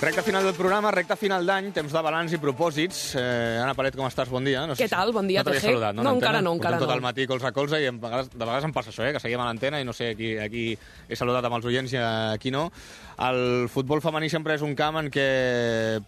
Recte final del programa, recte final d'any, temps de balanç i propòsits. Anna Paret, com estàs? Bon dia. Què tal? Bon dia, TG. Saludat, no, encara no. Portem tot el matí colze a colze i de vegades em passa això, que seguim a l'antena i no sé a qui he saludat amb els oients i a qui no. El futbol femení sempre és un camp en què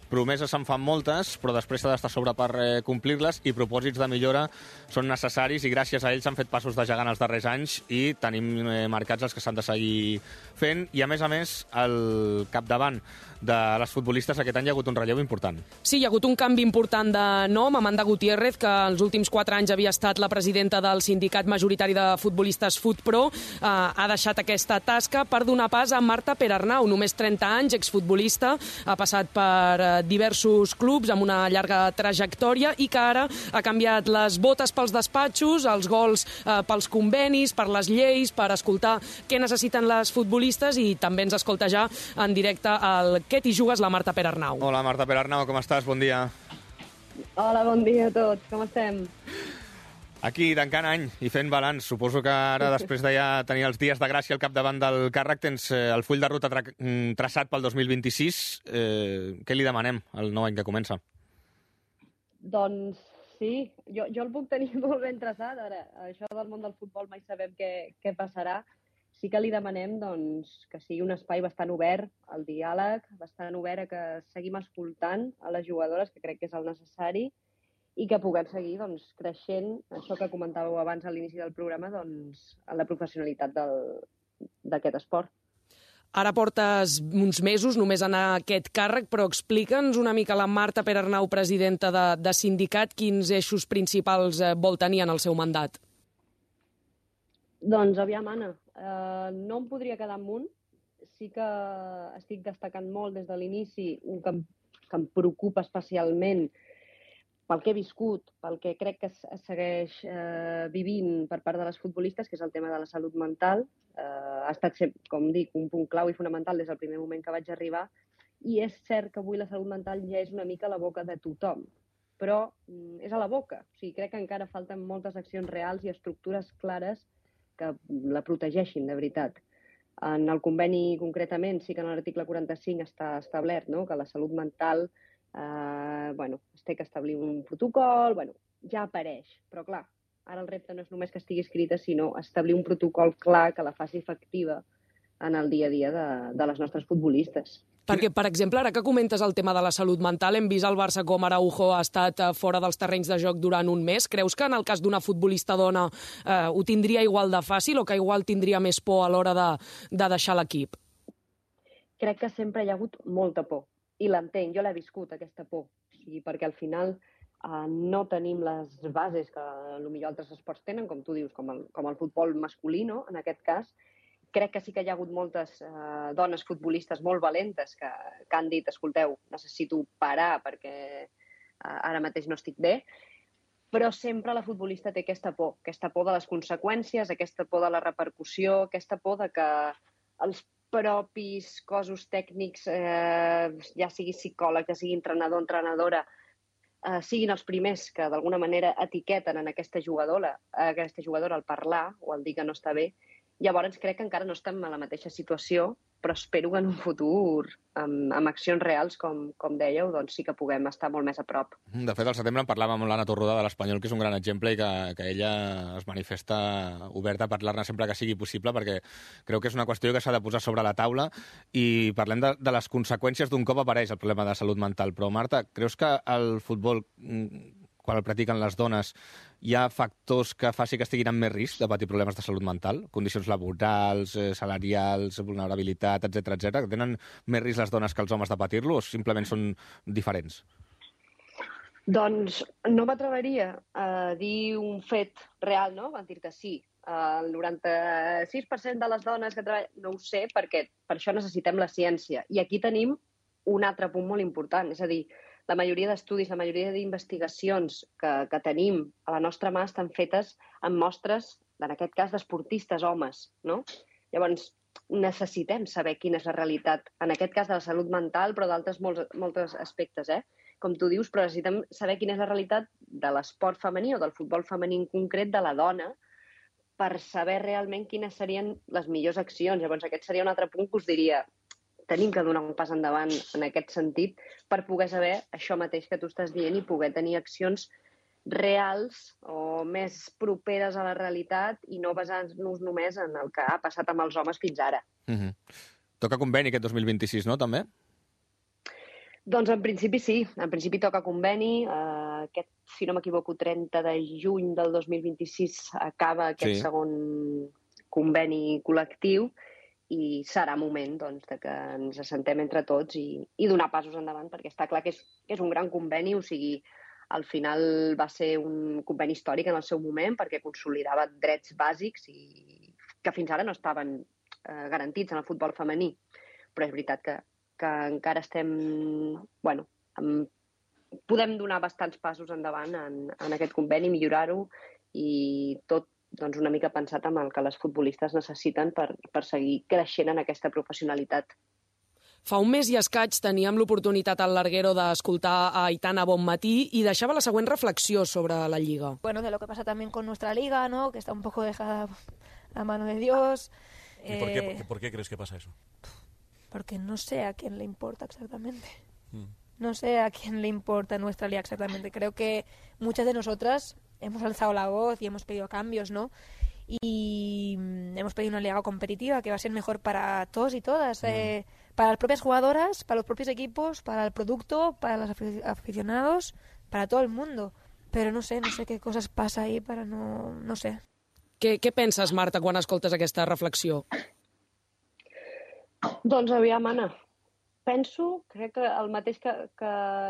promeses se'n fan moltes, però després s'ha d'estar sobre per complir-les i propòsits de millora són necessaris i gràcies a ells s'han fet passos de gegant els darrers anys i tenim marcats els que s'han de seguir fent. I a més, al capdavant de les futbolistes aquest any hi ha hagut un relleu important. Sí, hi ha hagut un canvi important de nom. Amanda Gutiérrez, que els últims 4 anys havia estat la presidenta del sindicat majoritari de futbolistes FutPro, ha deixat aquesta tasca per donar pas a Marta Perarnau, només 30 anys, exfutbolista, ha passat per diversos clubs amb una llarga trajectòria i que ara ha canviat les botes pels despatxos, els gols pels convenis, per les lleis, per escoltar què necessiten les futbolistes i també ens escolta ja en directe el Què t'hi jugues, la Marta Perarnau. Hola, Marta Perarnau, com estàs? Bon dia. Hola, bon dia a tots. Com estem? Aquí, tancant any i fent balanç. Suposo que ara, després de ja tenir els dies de gràcia al capdavant del càrrec, tens el full de ruta traçat pel 2026. Què li demanem al nou any que comença? Doncs sí, jo el puc tenir molt ben traçat. Ara, això del món del futbol mai sabem què passarà. Sí que li demanem que sigui un espai bastant obert al diàleg, bastant obert a que seguim escoltant a les jugadores, que crec que és el necessari, i que puguem seguir creixent, això que comentàveu abans a l'inici del programa, en la professionalitat d'aquest esport. Ara portes uns mesos només en aquest càrrec, però explica'ns una mica la Marta Perarnau, presidenta de sindicat, quins eixos principals vol tenir en el seu mandat. Doncs aviam, Anna, no em podria quedar amb un. Sí que estic destacant molt des de l'inici un que em preocupa especialment pel que he viscut, pel que crec que es segueix vivint per part de les futbolistes, que és el tema de la salut mental. Ha estat, com dic, un punt clau i fonamental des del primer moment que vaig arribar. I és cert que avui la salut mental ja és una mica a la boca de tothom, però és a la boca. O sigui, crec que encara falten moltes accions reals i estructures clares que la protegeixin, de veritat. En el conveni, concretament, sí que en l'article 45 està establert, no?, que la salut mental es té que establir un protocol, ja apareix, però clar, ara el repte no és només que estigui escrita, sinó establir un protocol clar que la faci efectiva en el dia a dia de les nostres futbolistes. Perquè, per exemple, ara que comentes el tema de la salut mental, hem vist el Barça com Araujo ha estat fora dels terrenys de joc durant un mes. Creus que en el cas d'una futbolista dona ho tindria igual de fàcil o que igual tindria més por a l'hora de deixar l'equip? Crec que sempre hi ha hagut molta por. I l'entenc, jo l'he viscut, aquesta por. O sigui, perquè al final no tenim les bases que potser altres esports tenen, com tu dius, com el futbol masculí, no?, en aquest cas. Crec que sí que hi ha hagut moltes dones futbolistes molt valentes que han dit, escolteu, necessito parar perquè ara mateix no estic bé, però sempre la futbolista té aquesta por de les conseqüències, aquesta por de la repercussió, aquesta por de que els propis cossos tècnics, ja sigui psicòleg, ja sigui entrenador, entrenadora, siguin els primers que d'alguna manera etiqueten en aquesta jugadora al parlar o al dir que no està bé. Llavors crec que encara no estem a la mateixa situació, però espero que en un futur, amb accions reals, com dèieu, doncs sí que puguem estar molt més a prop. De fet, al setembre en parlàvem amb l'Anna Torroda de l'Espanyol, que és un gran exemple i que ella es manifesta oberta a parlar-ne sempre que sigui possible, perquè creu que és una qüestió que s'ha de posar sobre la taula i parlem de les conseqüències d'un cop apareix el problema de salut mental. Però, Marta, creus que el futbol, quan el practiquen les dones, hi ha factors que faci que estiguin amb més risc de patir problemes de salut mental? Condicions laborals, salarials, vulnerabilitat, etc, que tenen més risc les dones que els homes de patir-lo o simplement són diferents? Doncs no m'atreveria a dir un fet real, no? A dir-te sí. El 96% de les dones que treballen... No ho sé, perquè per això necessitem la ciència. I aquí tenim un altre punt molt important, és a dir, la majoria d'estudis, la majoria d'investigacions que tenim a la nostra mà estan fetes amb mostres, en aquest cas, d'esportistes homes, no? Llavors, necessitem saber quina és la realitat, en aquest cas de la salut mental, però d'altres molts aspectes, com tu dius, però necessitem saber quina és la realitat de l'esport femení o del futbol femení en concret de la dona per saber realment quines serien les millors accions. Llavors, aquest seria un altre punt que us diria, tenim que donar un pas endavant en aquest sentit per poder saber això mateix que tu estàs dient i poder tenir accions reals o més properes a la realitat i no basar-nos només en el que ha passat amb els homes fins ara. Toca conveni aquest 2026, no, també? Doncs en principi sí, en principi toca conveni. Aquest, si no m'equivoco, 30 de juny del 2026 acaba aquest segon conveni col·lectiu i serà moment doncs, de que ens assentem entre tots i donar passos endavant, perquè està clar que és un gran conveni, o sigui, al final va ser un conveni històric en el seu moment perquè consolidava drets bàsics i que fins ara no estaven garantits en el futbol femení. Però és veritat que encara estem... Bueno, podem donar bastants passos endavant en aquest conveni, millorar-ho i tot doncs, una mica pensat amb el que les futbolistes necessiten per seguir creixent en aquesta professionalitat. Fa un mes i escaig teníem l'oportunitat al Larguero d'escoltar a Aitana Bonmatí i deixava la següent reflexió sobre la Lliga. Bueno, de lo que pasa también con nuestra Liga, ¿no? Que está un poco dejada a mano de Dios. ¿Y por qué crees que pasa eso? Porque no sé a quién le importa exactamente. No sé a quién le importa nuestra Liga exactamente. Creo que muchas de nosotras hemos alzado la voz y hemos pedido cambios, ¿no? Y hemos pedido una liga competitiva que va a ser mejor para todos y todas, para las propias jugadoras, para los propios equipos, para el producto, para los aficionados, para todo el mundo. Pero no sé qué cosas pasa ahí para no sé. Què penses, Marta, quan escoltes aquesta reflexió? Doncs aviam, Anna, crec que el mateix que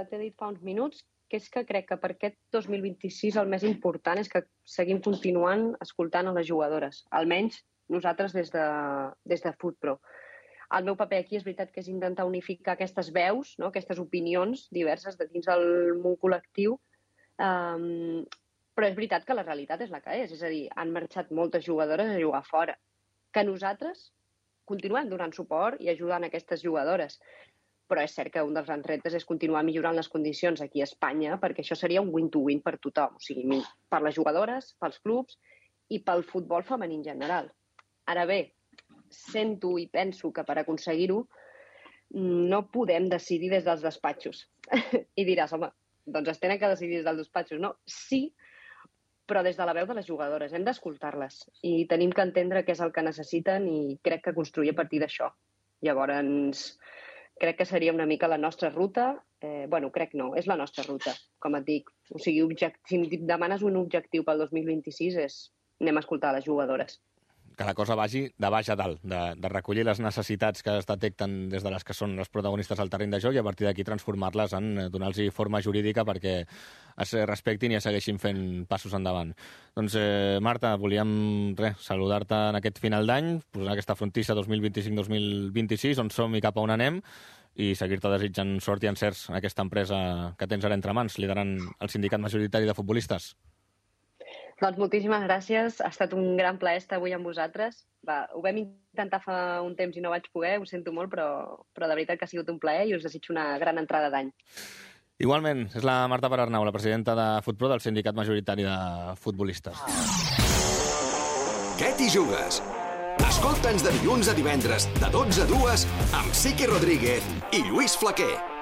t'he dit fa uns minuts, que és que crec que per aquest 2026 el més important és que seguim continuant escoltant a les jugadores, almenys nosaltres des de FutPro. El meu paper aquí és veritat que és intentar unificar aquestes veus, no? Aquestes opinions diverses de dins del món col·lectiu, però és veritat que la realitat és la que és a dir, han marxat moltes jugadores a jugar fora, que nosaltres continuem donant suport i ajudant aquestes jugadores. Però és cert que un dels grans reptes és continuar millorant les condicions aquí a Espanya, perquè això seria un win-to-win per tothom, o sigui, per les jugadores, pels clubs i pel futbol femení en general. Ara bé, sento i penso que per aconseguir-ho no podem decidir des dels despatxos. I diràs, home, doncs es tenen que decidir des dels despatxos. No, sí, però des de la veu de les jugadores. Hem d'escoltar-les i tenim que entendre què és el que necessiten i crec que construir a partir d'això. Llavors, crec que seria una mica la nostra ruta. Crec no, és la nostra ruta, com et dic. O sigui, si em demanes un objectiu pel 2026 és anem a escoltar les jugadores. Que la cosa vagi de baix a dalt, de recollir les necessitats que es detecten des de les que són les protagonistes al terreny de joc i a partir d'aquí transformar-les en donar-los forma jurídica perquè es respectin i es segueixin fent passos endavant. Doncs, Marta, volíem saludar-te en aquest final d'any, posar aquesta frontissa 2025-2026, on som i cap a on anem, i seguir-te desitjant sort i encerts en aquesta empresa que tens ara entre mans, liderant el sindicat majoritari de futbolistes. Doncs moltíssimes gràcies, ha estat un gran plaer estar avui amb vosaltres. Ho vam intentar fa un temps i no vaig poder, ho sento molt, però de veritat que ha sigut un plaer i us desitjo una gran entrada d'any. Igualment, és la Marta Perarnau, la presidenta de FutPro, del sindicat majoritari de futbolistes. Què t'hi jugues? Escolta'ns de dilluns a divendres, de 12 a 2, amb Siqui Rodríguez i Lluís Flaquer.